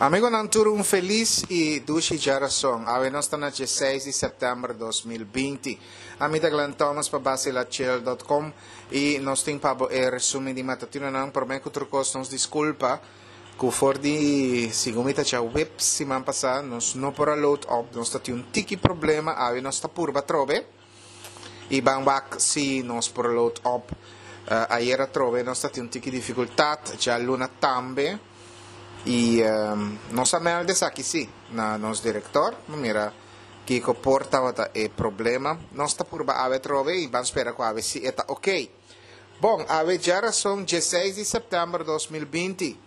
Amigonan tur un felis y dushi djarason. Awe nos ta na djeseis di september 2020. Ami ta Glenn Thomas pa Bacilachill dot com y nos tin pa bo e resumen di matutinonan. Prome cu tur cos nos disculpa cu for di segun mi ta djaweps siman pasa nos no por a load up, nos ta tin un tiki problema, awe nos ta purba atrobe. Y ban wak si nos por load op. Ayer atrobe nos ta tin un tiki dificultad, djaluna tambe. Y nos a meld esaki si na nos director. Bo mira kico por tabata e problema. Nos ta purba awe atrobe y ban spera cu awe si e ta ok. Bon, awe djarason dieseis di september 2020.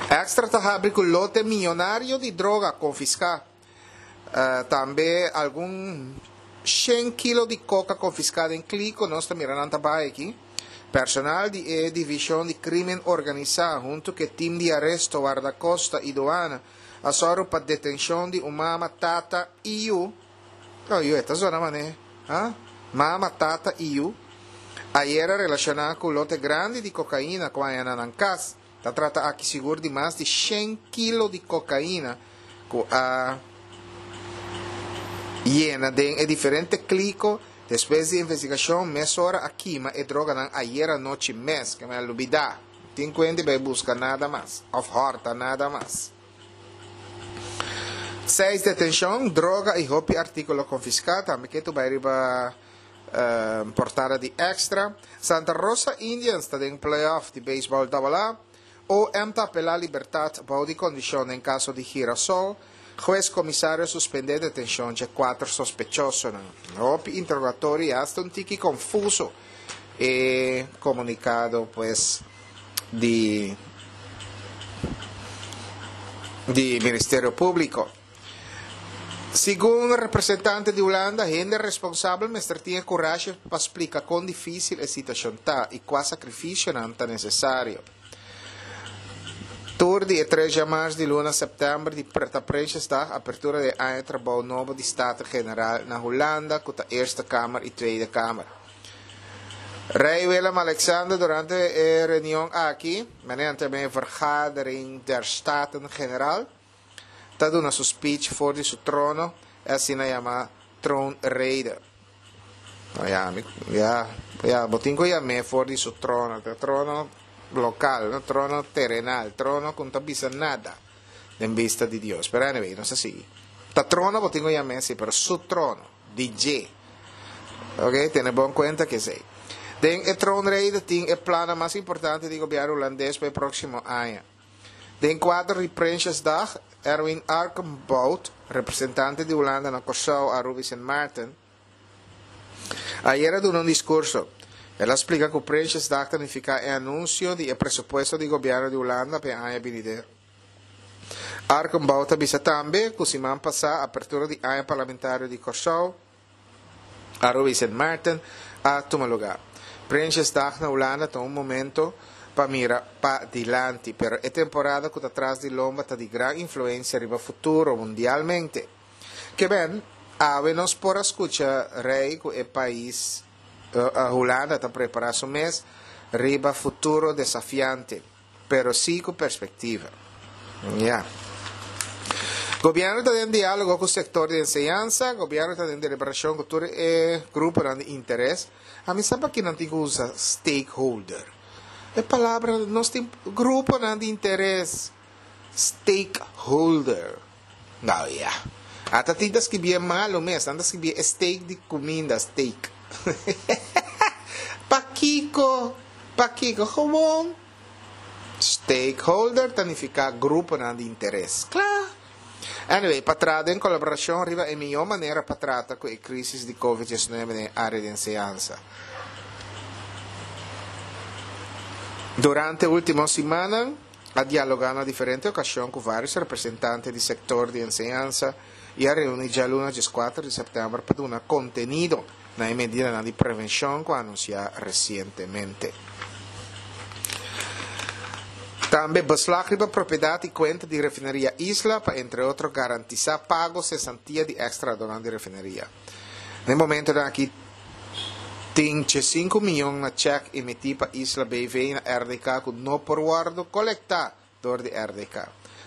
Extra ta habri cu lote miyonario di droga confisca. Tambe algun shen kilo di koka konfiská den Kliko, nos ta mira nan ta bai aki. Personal di e Divishon di Krimen Organisá huntu ku e tim di aresto, wardakosta i duana a sòru pa detenshon di un mama, tata i yu. Oh, yu e ta zona manera, ha? Mama, tata i yu. Ayera relashoná ku lote grandi di kokaina ku a haña na nan kas. Ta trata aki sigur di mas di shen kilo di kokaina ku a yena den e diferente kliko. Despues di investigashon mesora a kima e droganan ayer anochi mes. Ke mi a lubida. Tin kuenti bai buska nada mas òf hòrta nada mas. Seis detenshon, droga i hopi artíkulo konfiská. Tambe ke tu bai riba. Portada di Extra, Santa Rosa Indians ta den playoff di beisbòl Double A, OM ta apelá libertat bou di kondishon den kaso di Girasol, Hues komisario suspendé detenshon dje kuater sospechosonan. Hopi interogatorio i asta un tiki konfuso e komunikado pues di di Ministerio Públiko. Segun representante di Hulanda, hende responsabel mester tin e kurashi pa splika kon difísil e situashon ta i kua sakrifisionan ta nesesario. Tur di e tres djamars di luna sèptèmber di ta Prinsjesdag, apertura di e aña trabou nobo di Staten-Generaal na Hulanda ku ta Eerste Kamer i Tweede Kamer. Rei Willem-Alexander durante e reunion aki, manera nan ta yama e Vergadering der Staten-Generaal, ta duna su speech for di su trono, e asina yama troonrede. No, ya, mi, ya, ya, bo tin ku yam'é for di su trono, ta trono lokal, no trono terenal, trono ku no ta bisa nada den bista di Dios. Pero anyway, nos ta sigui. Ta trono bo tin ku yam'é, si, pero su trono, di dje. Ok, tene bon kuenta ku esei. Den e troonrede tin e plannan mas importante di gobièrnu hulandes pa e próksimo aña. Den kuadro di Prinsjesdag, Erwin Arkenbout, representante di Hulanda na Kòrsou, Aruba i Sint Maarten, ayer a duna un diskurso. El a splika ku Prinsjesdag ta nifiká e anunsio di e presupuesto di gobièrnu di Hulanda pa e aña binidero. Arkenbout a bisa tambe ku siman pasá apertura di aña parlamentario di Kòrsou, Aruba i Sint Maarten a tuma lugá. Prinsjesdag na Hulanda ta un momento pa mira pa dilanti, pero e temporada ku ta tras di lomba ta di gran influensia riba futuro mundialmente. Ke ben, awe nos por a skucha rei ku e pais Hulanda ta prepará su mes riba futuro desafiante. pero sí ku perspektiva. Ya. Gobièrnu ta den diálogo ku sektor di enseñansa, gobièrnu ta den deliberashon ku tur e gruponan di interes. Ami sa paki nan tin ku usa stakeholder. E palabra nos tin gruponan di interes, stakeholder. Nou ya. Ata tin ta skibié malu mes, nan ta skibié e steak di kuminda, steak. Pakiko? Pakiko? Gewoon stakeholder ta nifiká gruponan di interes. Kla! Anyway, pa traha den kolaborashon riba e mihó manera pa trata ku e krísis di Covid 19 den e área di enseñansa. Durante último simannan, a dialogá na diferente okashon ku vários representante di sektor di enseñansa i a reuní djaluna dieskuater di sèptèmber pa duna kontenido na e medidanan di prevenshon ku a anunsiá resientemente. Tambe beslag riba propiedat i kuenta di Refineria Isla pa entre otro garantisá pago sesantia di eks trahadónan di refineria. Na e momentonan aki tin diesinku miyon na chèk emití pa Isla BV na RDK ku no por wòrdu kolektá dor di RDK.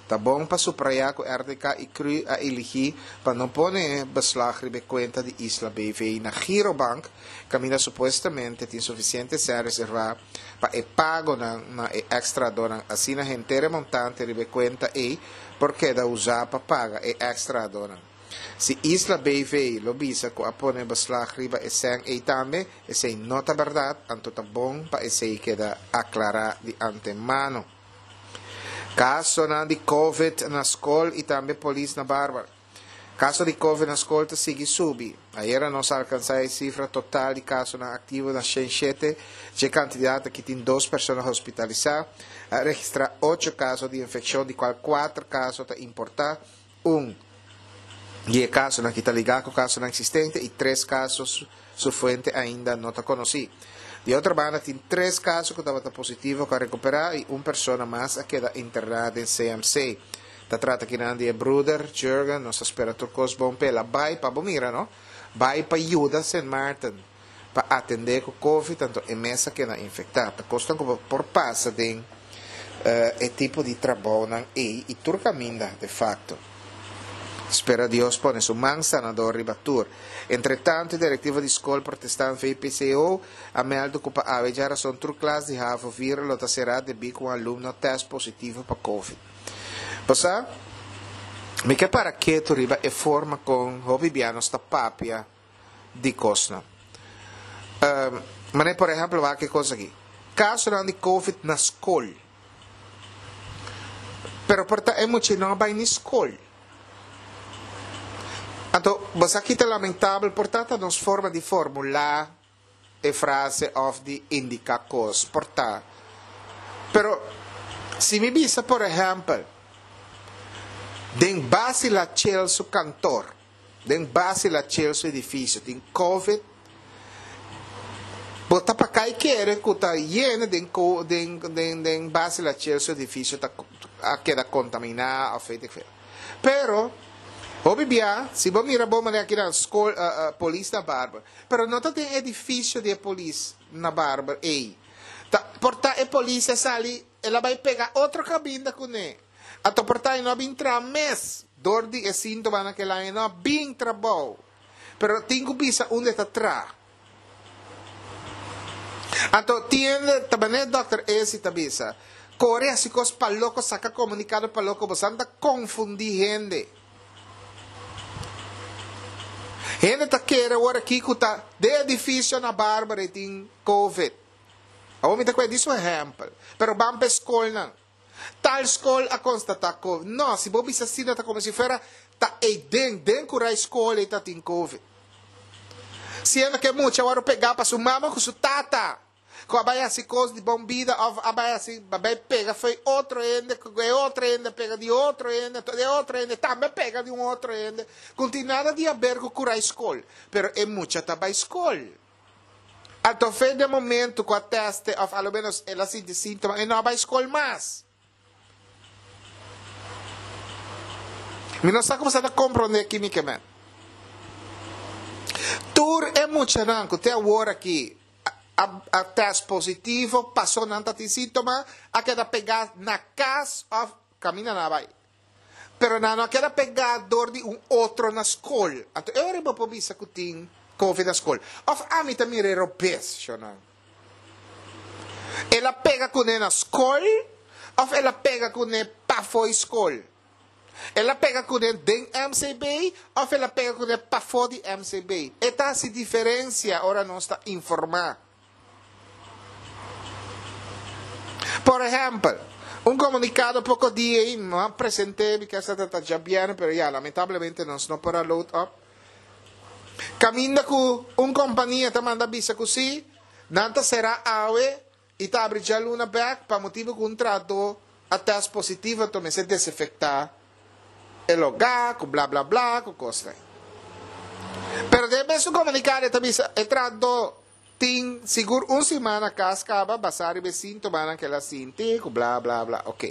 Ta bon pa suprayá ku RDK i cru a eligí pa no pone beslag riba e kuenta di Isla BV na Girobank, kaminda supuestamente tin sufisiente sèn reservá pa e pagonan na e èks-trahadónan. Asina henter e montante riba e kuenta ei por keda usá pa paga e èks-trahadónan. Si Isla BV lo bisa ku a pone beslag riba e sèn ei tambe, esei no ta bèrdat, anto ta bon pa esei keda aklará di antemano. Kasonan di Covid na skol i tambe polis na Barber. Kaso di Covid na skol ta sigui subi. Ayera nos a alkansá e sifra total di kasonan aktivo na 107. Dje kantidat aki tin dos persona hospitalisá. A registrá ocho kaso di infekshon di kual kuater kaso ta importá, un di e kasonan aki ta ligá ku kasonan eksistente i tres kaso su fuente ainda no ta konosí. Di otro banda tin tres kaso ku tabata positivo ku a rekuperá i un persona mas a keda interná den CMC. Ta trata kinan di e bruder, Jurgen, nos ta spera tur kos bon p'el. A bai pa bo mira no, bai pa yuda Sint Maarten pa atendé ku covid anto e mes a keda infektá. Ta kosnan ku bo por pasa den e tipo di trabounan ei i tur kaminda de facto. Spera Dios pone su man sanador riba tur. Entretanto e direktiva di skol protestant VPCO a meldu ku pa awe djarason tur klas di havo vier lo ta será debí ku un alumno tèst positivo pa covid. Bo sa, mi ke para ketu riba e forma kon hopi bia nos ta papia di kosnan. Manera por ehèmpel wak e kos aki. Kasonan di covid na skol. Pero por ta e mucha no a bai ni skol. Anto bo sa ki ta lamentabel por ta ta nos forma di formulá e frase òf di indiká kos. Por ta. Pero si mi bisa por ehèmpel den Basila Chel su kantor. Den base la chel su edificio tin covid bo ta pa kai kere ku ta yena den den den den base la chel su edificio ta a keda contamina of weet ik veel pero hopi bia si bo mira bo manera kinan skol polis na barber pero no ta den edificio di e polis na barber ey ta por ta e polis a sali el a bai pega otro kabinda kune. Anto por ta e no a bin traha mes dor di e síntomanan ku el haña, e no a bin trabou. Pero tin ku bisa unda e ta traha. Anto tin hende ta manera dòkter Esi ta bisa, kore hasi kos pa loko, saka komunikado pa loko, boso ta konfundí hende. Hende ta kere awor aki ku ta den edifisio na Bárbara e tin covid. Awor mi ta kue di su ehèmpel, pero ban pa e skolnan. Tal skol a konstatá covid. No, si bo bisa asina ta komo si fuera ta eiden, den ku rai skol ei ta tin covid. Siendo ku e mucha a wòrdu pegá pa su mama ku su tata, ku a bai hasi kos di bon bida òf a bai hasi, a bai pega fo'i otro hende, ku e otro hende a pega di otro hende, anto e otro hende tambe a pega di un otro hende, ku no tin nada di haber ku ku rai skol. Pero e mucha ta bai skol. Anto fe den momento cu a teste of a lo menos el a sinti sintoma e no a bay scol mas. Mi no sa como sa ta comprende ki mi ke men. Tur e muchanan cu te awor aki a a test positivo paso nan ta tin sintoma a keda pega na cas of caminda nan a bay. Pero nan no a keda pegá dor di un otro na skol. Anto e ora bo por bisa ku tin Covid na skol. Òf ami ta mira e robes, shonnan. El a pega kuné na skol òf el a pega kuné pafó di skol? El a pega kuné den MCB òf el a pega kuné pafó di MCB? E ta hasi diferensia ora nos ta informá. Por ehempel, un comunicado poco dia ei no a presente, mi kesa ta ta djabièrnè, pero ya, lamentablemente nos no por a load up. Caminda cu un compania ta manda bisa cu si, nan ta cera awe y ta abri djaluna bek pa motibo cu un trahador a test positivo anto mester desinfecta e logá cu bla bla bla cu cosnan. Pero den mesun comunicado e ta bisa e trahador Tin sigur un siman na kas kaba basá riba e síntomanan ku el a sinti ku bla bla bla ok.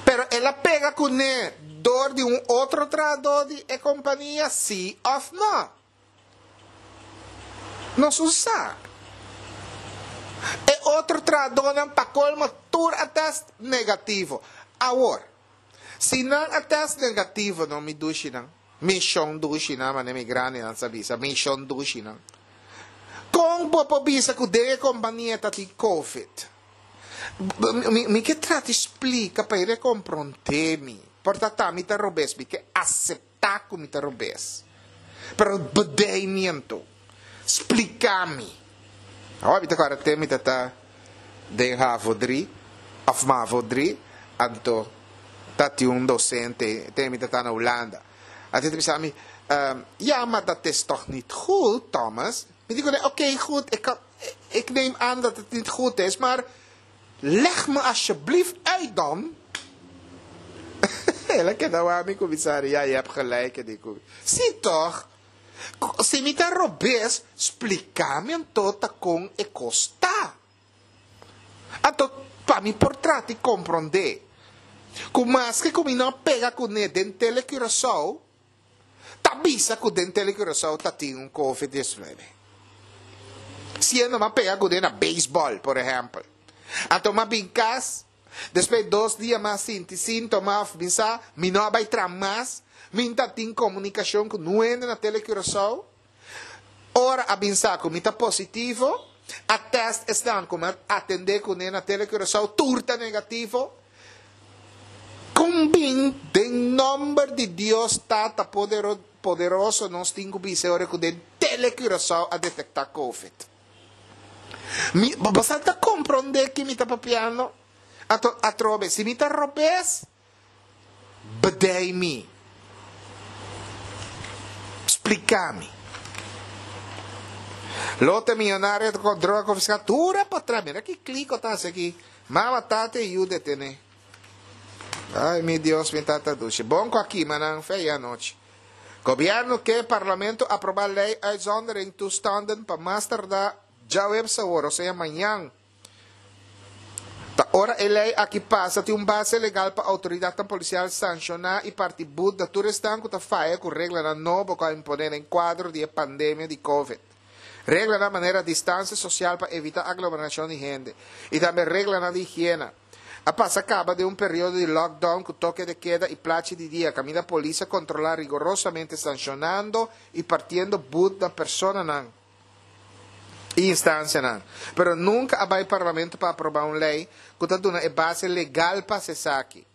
Pero el a pega kuné dor di un otro trahadó di e kompania sí òf nò? Nos un sa. E otro trahadónan pa kolmo. Tur a test negativo. Awor, si nan a test negativo no mi dushinan, mi shon dushinan manera mi grandinan sa bisa, mi shon dushinan. Kon bo por bisa ku den e kompania ta tin covid? Mi ke trata di splika pa e rekomprondé mi. Por ta ta mi ta robes, mi ke aseptá ku mi ta robes. Pero bedei mi anto. Splika mi. Awor mi ta kòrda te mi ta ta den havo dri òf mavo dri, anto ta tin un dosente te mi ta ta na Hulanda. Anto e ta bisa mi, Ja, maar dat is toch niet goed, Thomas? Mi di kuné, Oké, goed, ik kan. Ik neem aan dat het niet goed is, maar leg me alsjeblieft uit dan. El a keda wak mi kuminsá ri, ja, je hebt gelijk, e di ku mi. Sí toch? Si mi ta robes, splika mi anto ta kon e kos ta. Anto pa mi por trata i komprondé ku maske ku mi no a pega kuné den Tele Curaçao, ta bisa ku den Tele Curaçao ta tin un covid diesnuebe. Siendo m'a pega kuné na beisbòl, por ehèmpel. Anto m'a bin kas, despues dos dia m'a sinti síntoma òf mi sa, mi no a bai traha mas, mi n'ta tin komunikashon ku nuende na Tele Curaçao. Ora a bin sa ku mi ta positivo, a tèst esnan ku m'a atendé kuné na Tele Curaçao tur ta negativo. Kon bin den nomber di Dios Tata Poderoso nos tin ku bisa e ora ku den Tele Curaçao a detektá Covid? Mi, bo sa ta komprondé ki mi ta papiando? Ato, atrobe, si mi ta robes, bedei mi. Splika mi. Lote miyonario ta kon droga konfiská tur a patras. Mira ki kliko ta hasi aki. Mama, tata i yu detené. Ay, mi Dios, mi tata dushi. Bon ku a kima nan fe ayer anochi. Gobièrnu ke parlamento aprobá lei uitzondering toestanden pa mas tardá djaweps awor, osea mañan. Ta ora e lei aki pasa tin un base legal pa outoridatnan polisial sanshoná i parti but na tur esnan ku ta faya ku reglanan nobo ku a imponé den kuadro di e pandemia di covid. Reglanan manera distansia sosial pa evitá aglomerashon di hende i tambe reglanan di higiena. A pasa kaba den un periodo di lockdown ku toke de keda i plachi di dia kaminda polis a kontrolá rigorosamente sanshonando i partiendo but na personanan i instansianan. Pero nunka a bai parlamento pa aprobá un lei ku ta duna e base legal pa hasi esaki.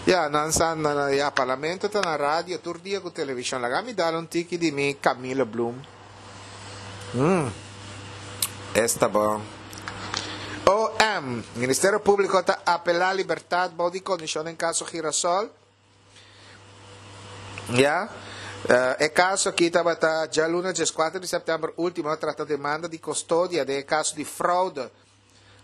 Ya, nan sa, na, ya, parlamento ta na radio tur dia ku televishon. Laga mi dal un tiki di mi Camilo Bloem. Mm. Esta bon. OM, Ministerio Públiko ta apelá libertat bou di kondishon den kaso Girasol. Ya, e kaso aki tabata djaluna dieskuater di sèptèmber último a trata demanda di kostodia den e kaso di fraude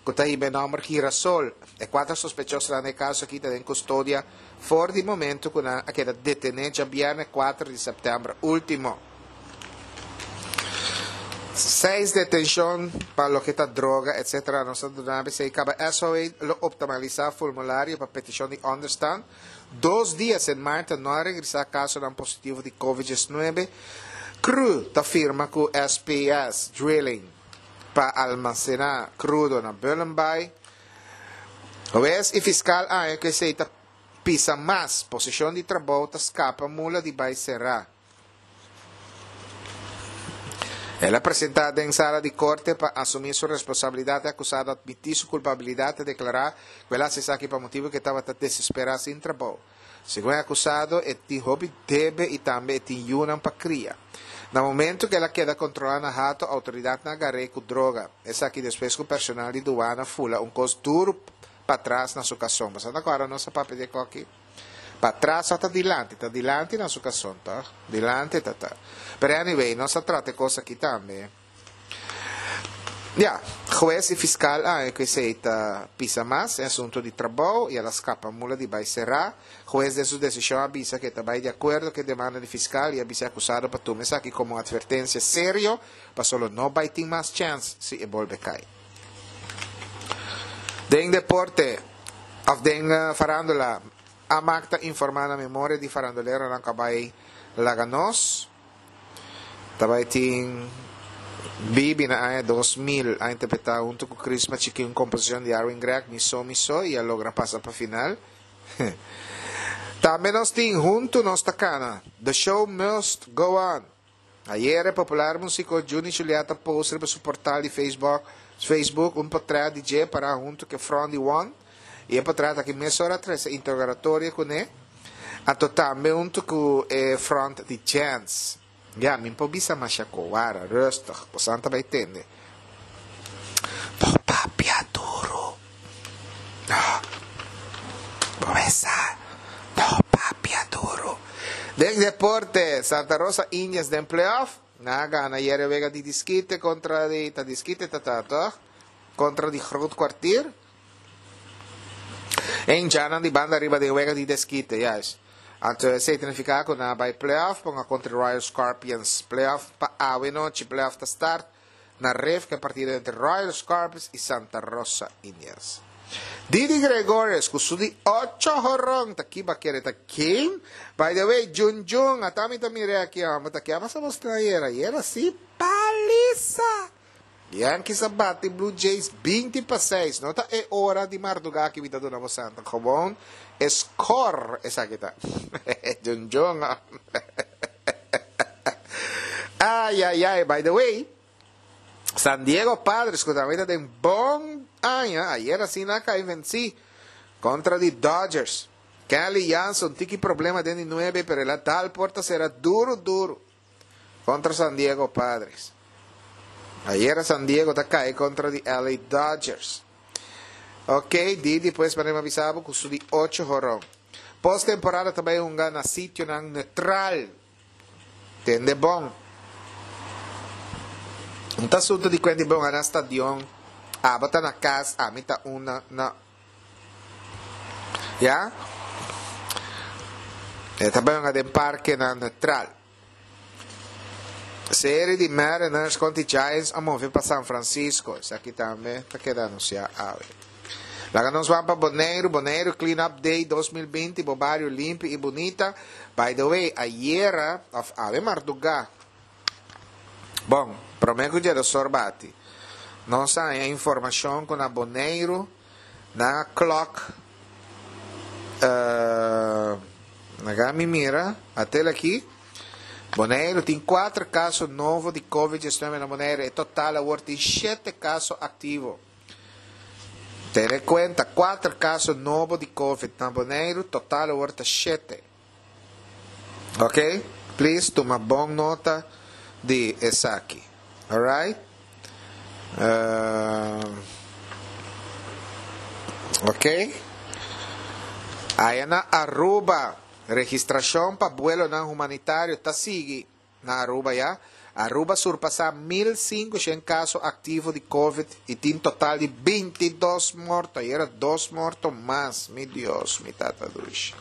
ku ta hiba e nòmber Girasol. E kuater sospechosonan den e kaso aki ta den kustodia for di momentu ku nan a keda detené djabièrnè kuater di sèptèmber último. Seis detenshon pa loke ta droga etc. Nos ta duna esei kaba SOA lo optimalisá formulario pa petishon di ònderstan. Dos dia Sint Maarten no a regresá kasonan positivo di Covid diesnuebe. Cru ta firma ku SPS Drilling pa almasená krudo na Bullenbaai. Hues i fiskal a haña ku esei ta pisa mas. Posishon di trabou ta skapa mula di bai será. El a presentá den sala di korte pa asumí su responsabilidat. E akusado a atmití su kulpabilidat i a deklará ku el a hasi esaki pa motibu ku e tabata desesperá sin trabou. Segun e akusado, e tin hopi debe i tambe e tin yunan pa kria. Na momentu ku el a keda kontrolá na Hato, outoridatnan a gar'é ku droga. Esaki despues ku personal di duana fula un kos duru patras na su kason. Bo sa ta kòrda nos a papia di e kòki? Patras òf ta dilanti? Ta dilanti na su kason, tòg? Dilanti ta ta. Pero anyway, nos a trata e kos aki tambe. Ya, hues i fiskal a haña ku esei ta pisa mas e asuntu di trabou i el a skapa mula di bai será. Hues den su desishon a bisa ku e ta bai di akuerdo ku e demanda di fiskal i a bisa e akusado pa tuma esaki komo un atvertensia serio paso lo no bai tin mas chèns si e bolbe kai. Den deporte òf den farándula, Amak ta informá na memoria di faranduleronan ku a bai laga nos. Ta bai tin. Bibi na aña 2000 a interpretá huntu ku Chrisma Chikí un komposishon di Arwin Gregg, Mi So Mi So, i a logra pasa pa final. Tambe nos tin Huntu Nos Ta Kana, The Show Must Go On. Ayera e popular musiko Juni Juliet a post riba su portal di Facebook Facebook un potret di dje pará huntu ku e front di One i e potret aki mesora a trese interogatorio kuné anto tambe huntu ku e front di Jens. Ya, mi por bisa masha kowara, rustig, bosan ta bai tende. No papia duru. No. Bo mesa. No papia duru. Den deporte, Santa Rosa Indians den playoff. Nan a gana ayer e wega di diskite kontra di, ta diskite ta ta, toch? Kontra di Groot Kwartier. E hinchanan di banda riba den wega di deskite, juist. Anto esei ta nifiká ku nan a bai playoff ponga kontra Royal Scorpions. Playoff pa awe nochi. Playoff ta start na ref ku e partido entre Royal Scorpions i Santa Rosa Indians. Didi Gregorius ku su di ocho horon ta kiba kere ta game. By the way, Jun Jun, ata mi ta mir'é aki homber, ta kiaba sa bos tin ayera? Ayera si palisa! Yankees a bati Blue Jays 20-6. No ta e ora di mardugá ki mi ta duna bo santa. Gewoon e score esaki ta. Jun Jun. Ay, ay, ay. By the way, San Diego Padres, ku tambe ta den bon aña, ayer asina a kai vencí kontra di Dodgers. Kenley Jansen tiki problema den di nuebe, pero el a dal porta sera duru duru. Kontra San Diego Padres. Ayera San Diego ta kai kontra di LA Dodgers. Ok, Didi pues manera mi a bisa bo ku su di ocho horon. Post temporada ta bai hunga na sitionan neutral. Tende bon. Un ta asunto di kuenti bon na stadion. Abo ta na kas, ami ta una na. Ya? E ta bai hunga den parkenan neutral. Serie di Mariners kontra Giants a move pa San Francisco. Esaki tambe ta keda anunsiá awe. Laga nos ban pa Boneiru. Boneiru Clean Up Day 2020, bo bario limpi i bunita. By the way, ayera, of awe mardugá, bon, promé ku djedosor bati, nos a haña informashon ku na Boneiru nan a klòk, Laga mi mira, atel aki, Boneiru tin kuater kaso nobo di Covid diesnuebe na Boneiru. E total awor tin shete kaso aktivo. Tene kuenta, kuater kaso nobo di Covid na Boneiru, total awor ta shete. Ok, please tuma bon nota di esaki. Alright? Ok. Aya na Aruba, registracion pa buelonan humanitario ta sigui na Aruba ya. Aruba surpasa 1500 caso activo di covid y tin total di 22 morto. Ayera dos morto mas. Mi Dios, mi tata dushi.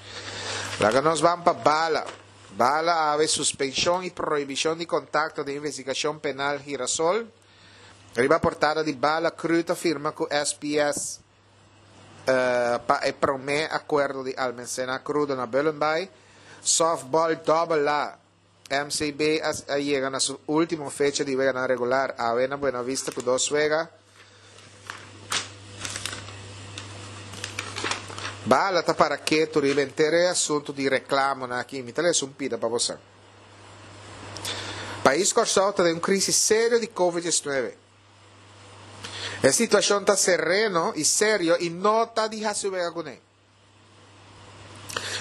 Laga nos ban pa bala. Bala awe suspenshon i prohibishon di kontakto den investigashon penal Girasol. Riba portada di Bala Cru ta firma ku SPS pa e promé akuerdo di almensena krudo na Bullenbaai. Softball Dòbel A, MCB a yega na su último fecha di weganan regular awe na Buena Vista ku dos wega. Bala ta para ketu riba henter e asuntu di reklamonan aki. Mi ta lesa un pida pa boso. Pais Kòrsou ta den un krisis serio di Covid 19. E situashon ta sereno i serio i no ta di hasi wega kuné.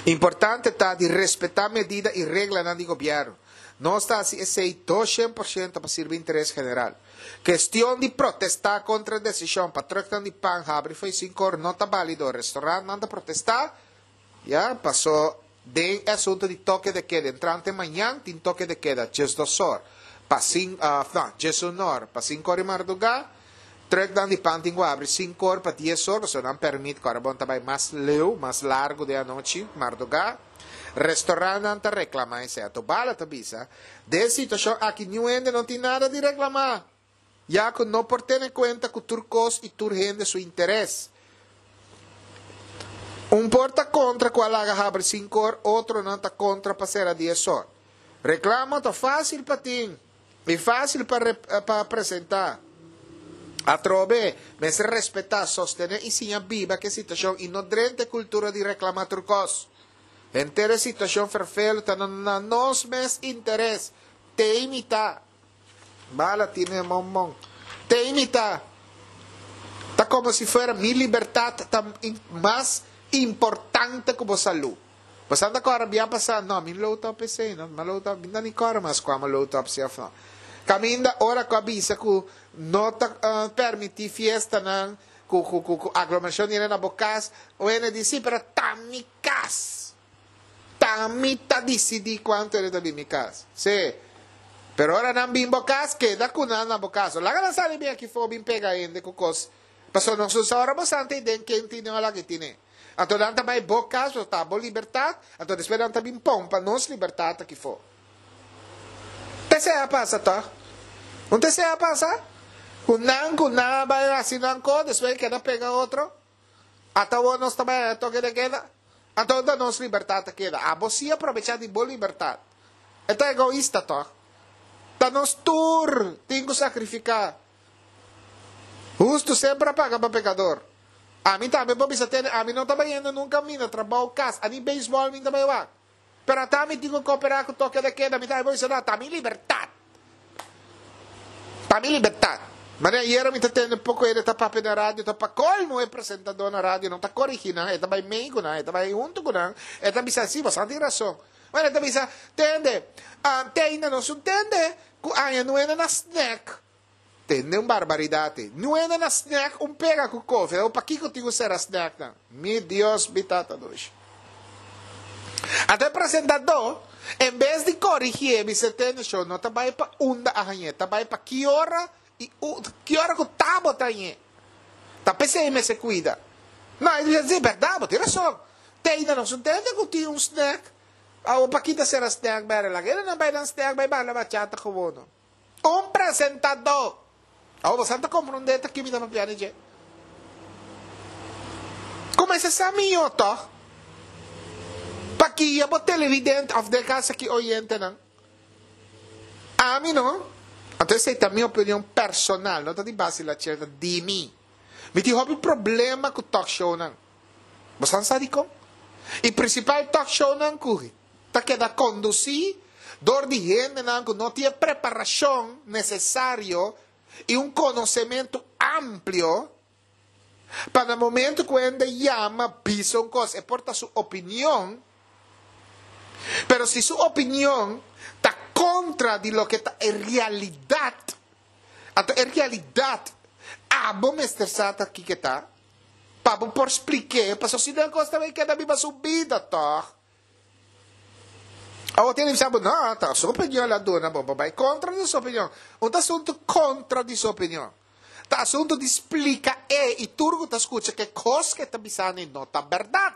Importante ta di respetá medida i reglanan di gobièrnu. Nos ta hasi esei 200% pa sirbi interes general. Kestion di protestá kontra e desishon pa trùknan di pan habri fo'i sinkor no ta bálido. Restorantnan ta protestá, ya, paso den e asuntu di toke de keda. Entrante mañan tin toke de keda diesdosor pa sin, no, diesunor pa sinkor di mardugá. Trucknan di pan tin ku habri sinkor pa dies or, pasobra nan permit ku arabon ta bai mas leu, mas largu den anochi, mardugá. Restorantnan ta reklamá esei. Ato Bala ta bisa, Den e situashon aki niun hende no tin nada di reklamá, ya ku no por tene kuenta ku tur kos i tur hende su interes. Un por ta kontra ku a laga habri sinkor, otronan ta kontra pa sera dies or. Reklamo ta fásil pa tin. I fásil pa pa presentá. Atrobe, mester respetá, sostené i siña biba ku e situashon i no drenta e kultura di reklamá tur kos. Henter e situashon ferfelu ta na nos mes interes. Te imitá. Bala tine monmon. Te imitá. Ta komo si fuera mi libertat ta mas importante ku bo salú. Bo sa ta kòrda bia pasá? No, mi load up esei no. Mi load up, mi ta ni kòrda mas kua mi load up si òf no. Kaminda ora ku a bisa ku no ta permití fiestanan ku ku ku ku aglomerashon di hende na bo kas, wene di si, pero ta mi kas. Ta mi ta disidí kuantu hende ta bin mi kas. Sí. Pero ora nan bin bo kas, keda ku nan na bo kas. No laga nan sali bin aki for bin pega hende ku kos. Pasobra nos no sa ora bo santa ei den ken tine o laki tine. Anto nan ta bai bo kas, pasobra ta bo libertat, anto despues nan ta bin pompa nos libertat aki for. Ta esei a pasa tòg? Un ta esei a pasa? Ku nan ku nan a bai hasi nan kos, despues e keda pega otro. Ata awor nos ta bai haya toke de keda. Anto unda nos libertat a keda? Abo si a probechá di bo libertat. E ta egoista tòg? Ta nos tur tin ku sakrifiká. Hustu semper a paga pa pekador. Ami tambe por bisa tene, ami no ta bayendo nunka mi na trabou, kas, ani beisbòl mi ta bai wak. Pero ata mi tin ku koperá ku toke de keda, mi tambe por bisa no, ta mi libertat. Ta mi libertat. Manera ayera mi ta tende poko hende ta papia na radio, ta pa kolmo e presentadó na radio no ta korigí nan, e ta bai mei ku nan, e ta bai huntu ku nan, e ta bisa si, boso tin rason. Bueno, e ta bisa, tende, te ainda nos un tende ku aña nuena na snack. Tende un barbaridad ei. Nuena na snack un pega cu koffie. Awor pakico tin cu cera snacknan? Mi Dios, mi Tata dushi. Anto e presentador, en bes di corigié, bisa tende show no ta bay pa unda a hañ'é, ta bay pa ki ora y ki ora cu ta bo ta hañ'é. Ta p'esei mester cuida. No, e bisa, si, berdad, bo tin rason. Te ainda nos no tende cu tin un snack. Awor pakita cera snack bere? Laga e nan bay nan snack bay bala bachata gewoon. Un presentadó. Awor boso ta komprondé ta ki mi ta papia di dje. Kuminsá sa mihó tòg. Pakia bo televidente òf den kas aki oyentenan. Ami no. Anto esei ta mi opinion personal, no ta di Basil Lachel, ta di mi. Mi tin hopi problema ku talkshownan. Boso sa dikon? I prinsipal talkshownan ku ta keda kondusí dor di hendenan ku no tin e preparashon nesesario i un konosementu amplio pa na momentu ku hende yama bisa un kos e por ta su opinion, pero si su opinion ta kontra di loke ta e realidat, anto e realidat abo mester sa ta kiko ta pa bo por splik'é, pasobra si no e kos ta bai keda biba su bida tòg. Awor tin bisa bo, no, ta su opinion la duna bo, bo bai kontra di su opinion. Un ta asuntu kontra di su opinion. Ta asuntu di splika e i tur ku ta skucha ke kos ke ta bisani no ta bèrdat.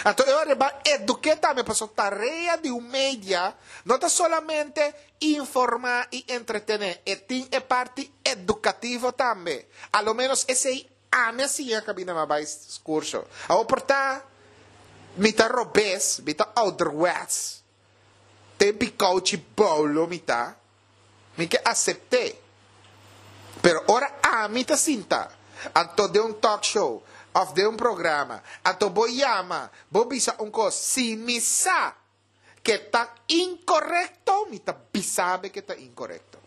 Anto e ora ba eduké tambe pasobra tarea di un media no ta solamente informá i entretené, e tin e parti edukativo tambe. A lo ménos esei Ami a siña kabina mi a bai kurso. Awor por ta mi ta robes, mi ta ouderwets, tempi kouchi boulo mi ta, mi ke asept'é. Pero ora ami ta sinta anto den un talk show òf den un programa, anto bo yama, bo bisa un kos, si mi sa ke ta inkorekto, mi ta bisa bo ke ta inkorekto.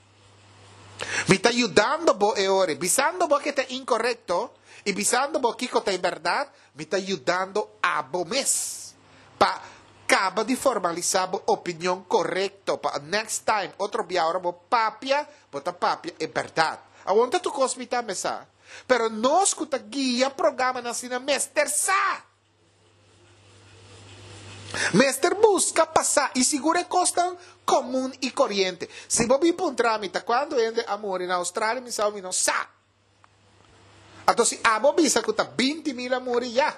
Mi ta yudando bo e ora, bisando bo ke ta inkorekto i bisando bo kiko ta e bèrdat, mi ta yudando abo mes pa kaba di formalisá bo opinion korekto pa next time, otro bia ora bo papia, bo ta papia e bèrdat. Awor ta tur kos mi tambe sa, pero nos ku ta guia programanan asina mester sa! Mester buska pasá i sigur e kosnan komun i koriente. Si bo bin puntra mi ta kuantu hende a muri na Australia mi sa mi no sa. Anto si abo bisa ku ta 20.000 a muri ya.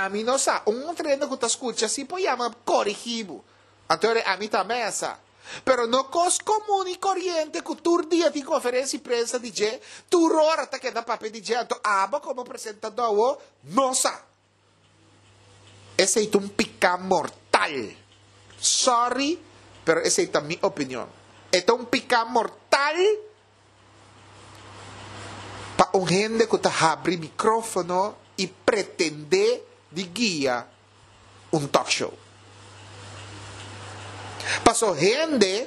Ami no sa. Un otro hende ku ta skucha si por yama korigí bo. Anto ora ami tambe a sa. Pero no kos komun i koriente ku tur dia tin konferensia di prensa di dje, tur ora ta keda papia di dje, anto abo komo presentadó awo no sa. Esei ta un piká mortal. Sorry, pero esei ta mi opinion. E ta un piká mortal pa un hende ku ta habri mikrófono i pretendé di guia un talk show. Paso hende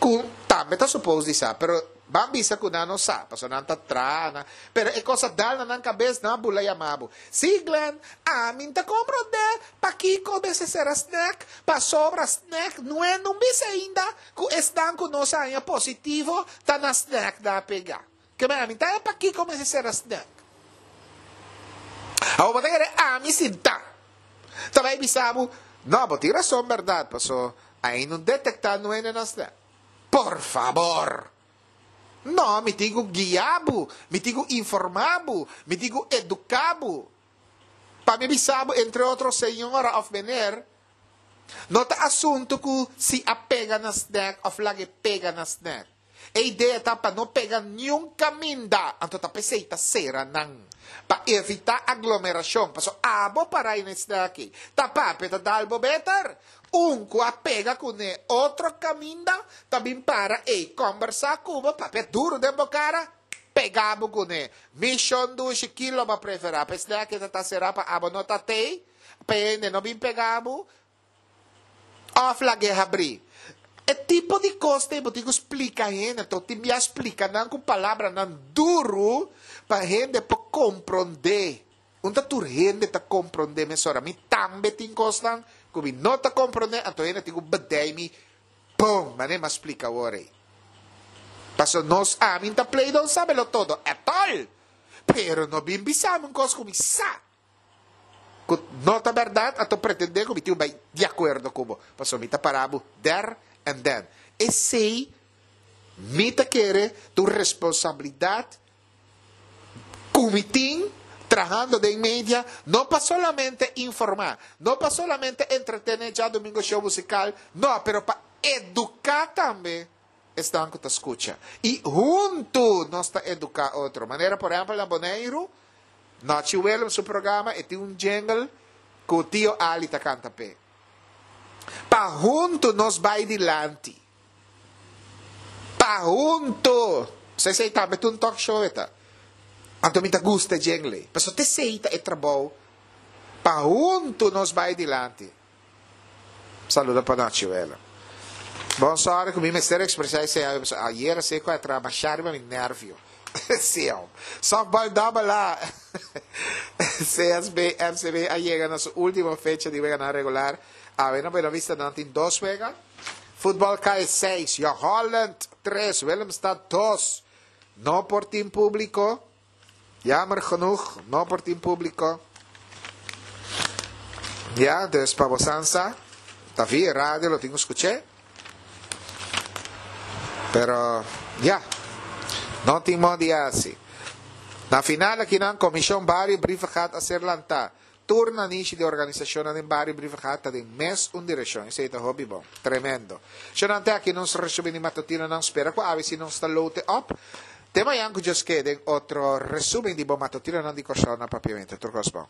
ku tambe ta supos di sa, pero ban bisa ku nan no sa, paso nan ta traha nan, pero e kos a dal na nan kabes, nan a bula yama bo. Sí Glenn, ami n'ta komprondé pakiko mester sera snack, pasobra snack nue no bisa ainda ku esnan ku nos a haña positivo ta na snack nan a pega. Ke men ami ta haña pakiko mester sera snack. Awor bo ta kere ami sinta ta bai bisa bo, no bo tin rason bèrdat, paso ainda no detektá nue na snack. Por fabor! No, mi tin ku guia bo, mi tin ku informá bo, mi tin ku eduká bo. Pa mi bisa bo, entre otro, señora òf meneer, no ta asuntu ku si a pega na snèk òf laga e pega na snèk. E idea ta pa no pega niun kaminda, anto ta p'esei ta sera nan, pa evitá aglomerashon. Pasobra abo pará ei na e snèk ei, ta papia ta dal bo beter. Un ku a pega kuné otro kaminda ta bin para ei kòmbersá ku bo, papia duru den bo kara, pega bo kuné. Mi shon dushi kilo bo a preferá? Pa esnan ke ta ta será pa abo no ta tei, pa e hende no bin pega bo òf lag'é habrí. E tipo di kos ei bo tin ku splika hende, anto tin bia splika nan ku palabranan duru pa hende por komprondé. Un ta tur hende ta komprondé mesora. Mi tambe tin kosnan ku mi no ta komprondé, anto hende tin ku bedei mi bon manera mi a splika awor ei. Pasobra nos ami ta play don sabelo todo at all, pero no bin bisa mi un kos ku mi sa ku no ta bèrdat, anto pretendé ku mi tin ku bai di akuerdo ku bo, pasobra mi ta para bo there and then. Esei mi ta kere ta un responsabilidat Ku mi tin trahando den media no pa solamente informá, no pa solamente entretené djadumingo show musikal, no, pero pa eduká tambe esnan ku ta skucha. I huntu nos ta eduká otro. Manera por ehèmpel na Boneiru, Nochi Willem su programa e tin un jingle ku Tio Ali ta kanta p'e. Pa huntu nos bai dilanti. Pa hunto! Esei tambe ta un talk show e ta. Anto mi ta gusta e jingle. Pasobra ta esei ta e trabou. Pa hunto nos bai dilanti. Saludo pa nochi wela. Bon sorry ku mi mester expresa esei awe pasobra ayer esei ku a traha masha riba mi nervio. Siao. Softball double A. CSB MCB a yega na su ultimo fecha di weganan regular. Awe na Buenavista nan tin dos wega. Futbol KS seis, Jong Holland tres, Willemstad dos. No por tin publico. Jammer genoeg, no por tin publico. Ya, dus pa bosan sa, ta via radio lo tin cu scuché. Pero, ya, no tin modo di haci. Na final akinan, Comision Bario Brievengat a ser lanta. Tur nanishi di organisashonnan den bario Brievengat ta den mes un direkshon. Esei ta hopi bon. Tremendo. Shonnan te aki nos resumí di matutinonan. Spera ku awe si nos ta lote op. Te mañan ku Dios ke den otro resumen di bo matutinonan di Kòrsou na Papiamentu. Tur kos bon.